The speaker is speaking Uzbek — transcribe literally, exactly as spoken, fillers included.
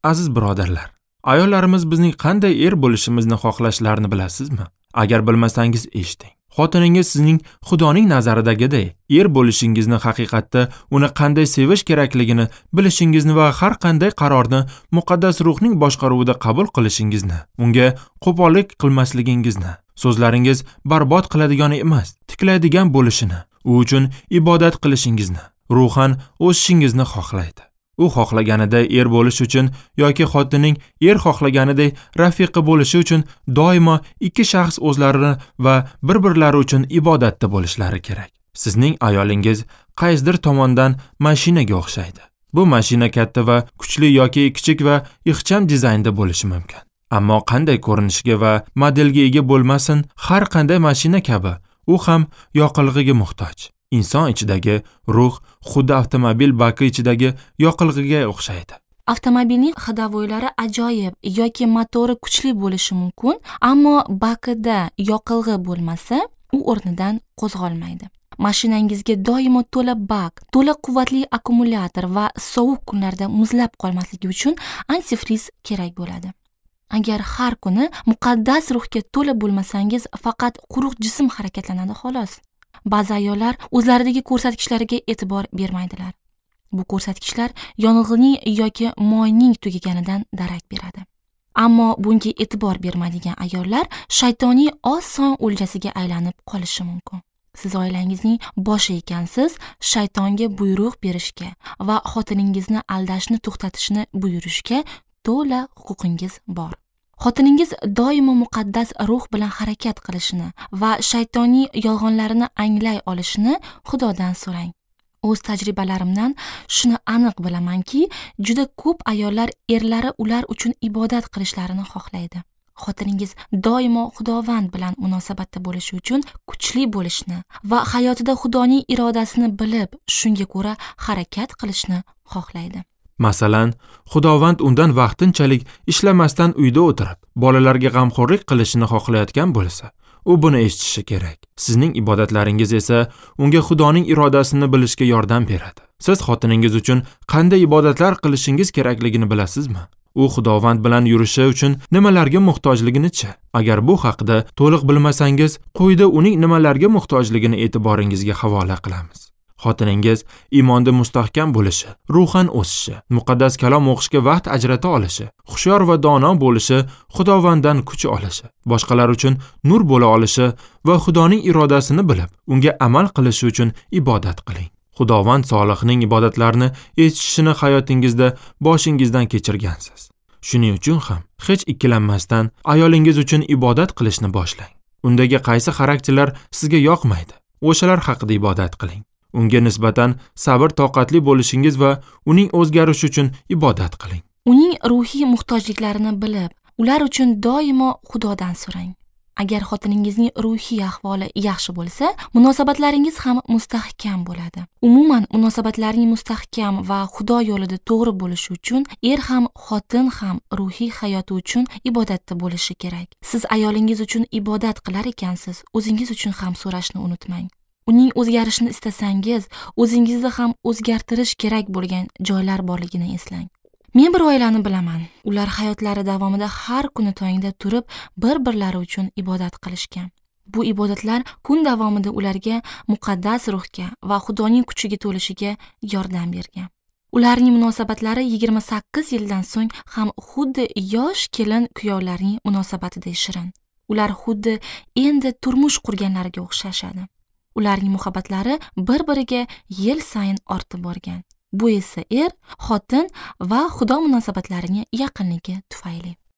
Aziz birodarlar, ayollarimiz bizning qanday er bo'lishimizni xohlashlarini bilasizmi? Agar bilmasangiz eshiting. Xotiningiz sizning Xudoning nazaridagidek er bo'lishingizni, haqiqatda uni qanday sevish kerakligini bilishingizni va har qanday qarorni muqaddas ruhning boshqaruvida qabul qilishingizni, unga qo'pollik qilmasligingizni, so'zlaringiz barbod qiladigan emas, tiklaydigan bo'lishini, u uchun ibodat qilishingizni, ruhan o'sishingizni xohlaydi. U xohlaganiday er bo'lish uchun yoki xotinning er xohlaganiday rafiqa bo'lishi uchun doimo ikki shaxs o'zlarini va bir-birlari uchun ibodatda bo'lishlari kerak. Sizning ayolingiz qaysidir tomondan mashinaga o'xshaydi. Bu mashina katta va kuchli yoki kichik va ixcham dizaynda bo'lishi mumkin. Ammo qanday ko'rinishiga va modelga ega bo'lmasin, har qanday mashina kabi u ham yoqilg'iga muhtoj. Inson ichidagi ruh xuddi avtomobil baki ichidagi yoqilg'iga o'xshaydi. Avtomobilning ходовойлari ajoyib yoki motori kuchli bo'lishi mumkin, ammo bakida yoqilg'i bo'lmasa, u o'rnidan qo'zg'olmaydi. Mashinangizga doimo to'la bak, to'la quvvatli akkumulyator va sovuq kunlarda muzlab qolmasligi uchun antifriz kerak bo'ladi. Agar har kuni muqaddas ruhga to'la bo'lmasangiz, faqat quruq jism harakatlanadi xolos. Ba'zi ayollar o'zlaridagi ko'rsatkichlariga e'tibor bermaydilar. Bu ko'rsatkichlar yonilg'ining yoki moyning tugaganidan darak beradi. Ammo bunga e'tibor bermaydigan ayollar shaytoniy oson o'ljasiga aylanib qolishi mumkin. Siz oilangizning boshi ekansiz, shaytonga buyruq berishga va xotiningizni aldashni to'xtatishni buyurishga to'la huquqingiz bor. Xotiningiz doimo muqaddas ruh bilan harakat qilishini va shaytoniy yolg'onlarini anglay olishini Xudodan so'rang. O'z tajribalarimdan shuni aniq bilamanki, juda ko'p ayollar erlari ular uchun ibodat qilishlarini xohlaydi. Xotiningiz doimo Xudovand bilan munosabatda bo'lishi uchun kuchli bo'lishni va hayotida Xudoning irodasini bilib, shunga ko'ra harakat qilishni xohlaydi. Masalan, Xudovand undan vaqtinchalik ishlamasdan uyda o'tirib, bolalarga g'amxo'rlik qilishini xohlayotgan bo'lsa, u buni eshitishi kerak. Sizning ibodatlaringiz esa unga Xudoning irodasini bilishga yordam beradi. Siz xotiningiz uchun qanday ibodatlar qilishingiz kerakligini bilasizmi? U Xudovand bilan yurishi uchun nimalarga muhtojligini-chi? Agar bu haqida to'liq bilmasangiz, quyida uning nimalarga muhtojligini e'tiboringizga havola qilamiz. Xotiningiz iymonda mustahkam bo'lishi, ruhan o'sishi, muqaddas kalom o'qishga vaqt ajrata olishi, hushyor va dono bo'lishi, Xudovanddan kuch olishi, boshqalar uchun nur bo'la olishi va Xudoning irodasini bilib, unga amal qilishi uchun ibodat qiling. Xudovand solihning ibodatlarini eshitishini hayotingizda boshingizdan kechirgansiz. Shuning uchun ham hech ikkilanmasdan ayolingiz uchun ibodat qilishni boshlang. Undagi qaysi xarakterlar sizga yoqmaydi, o'shalar haqida ibodat qiling. Unga nisbatan sabr toqatli bo'lishingiz va uning o'zgarishi uchun ibodat qiling. Uning ruhiy muhtojliklarini bilib, ular uchun doimo Xudodan so'rang. Agar xotiningizning ruhiy ahvoli yaxshi bo'lsa, munosabatlaringiz ham mustahkam bo'ladi. Umuman, munosabatlarning mustahkam va Xudo yo'lida to'g'ri bo'lishi uchun er ham, xotin ham ruhiy hayoti uchun ibodatda bo'lishi kerak. Siz ayolingiz uchun ibodat qilar ekansiz, o'zingiz uchun ham so'rashni unutmang. Uning o'zgarishini istasangiz, o'zingizni ham o'zgartirish kerak bo'lgan joylar borligini eslang. Men bir oilani bilaman. Ular hayotlari davomida har kuni tongda turib, bir-birlari uchun ibodat qilishgan. Bu ibodatlar kun davomida ularga muqaddas ruhga va Xudoning kuchiga to'lishiga yordam bergan. Ularning munosabatlari yigirma sakkiz yildan so'ng ham xuddi yosh kelin kuyovlarning munosabatiday shirin. Ular xuddi endi turmush qurganlarga o'xshashadi. Ularning muhabbatlari bir-biriga yil sayin ortib borgan. Bu esa er, xotin va Xudo munosabatlarining yaqinligi tufayli.